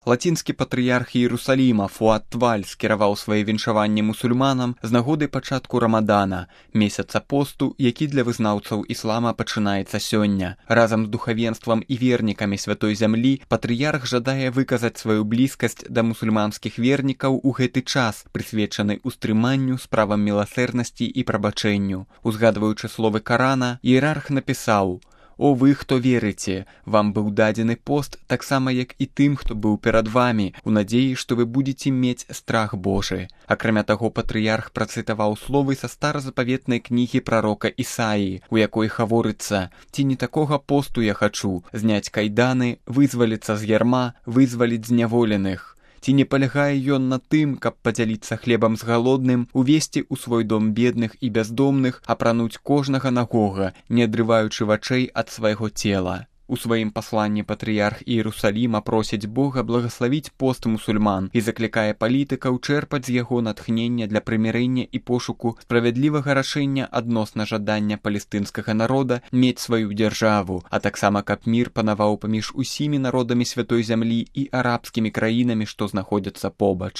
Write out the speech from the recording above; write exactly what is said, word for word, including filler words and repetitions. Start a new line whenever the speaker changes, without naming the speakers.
Лацінскі патрыярх Іерусаліма Фуад Тваль скіраваў свае віншаванні мусульманам з нагоды пачатку Рамадана, месяца посту, які для вызнаўцаў іслама пачынаецца сёння. Разам з духавенствам і вернікамі святой зямлі патрыярх жадае выказаць сваю блізкасць да мусульманскіх вернікаў у гэты час, прысвечаны устрыманню справам міласэрнасці і прабачэнню. Узгадваючы словы Карана, іерарх напісаў: «О вы, хто верыце, вам быў дадзены пост таксама, як і тым, хто быў перад вамі, у надзеі, што вы будзеце мець страх Божы». Акрамя таго, патрыярх працытаваў словы са старазапаветнай кнігі прарока Ісаі, у якой гаворыцца: «Ці не такога посту я хачу, зняць кайданы, вызваліцца з ярма, вызваліць зняволеных». Ці не палягае ён на тым, каб падзяліцца хлебам з галодным, увесці ў свой дом бедных і бяздомных, апрануць кожнага нагога, не адрываючы вачэй ад свайго цела. У сваім пасланні патрыярх Іерусаліма просіць Бога благаславіць пост мусульман і заклікае палітыкаў чэрпаць з яго натхнення для прымірэння і пошуку справядлівага рашэння адносна жадання палестынскага народа мець сваю дзяржаву, а таксама каб мір панаваў паміж усімі народамі святой зямлі і арабскімі краінамі, што знаходзяцца побач.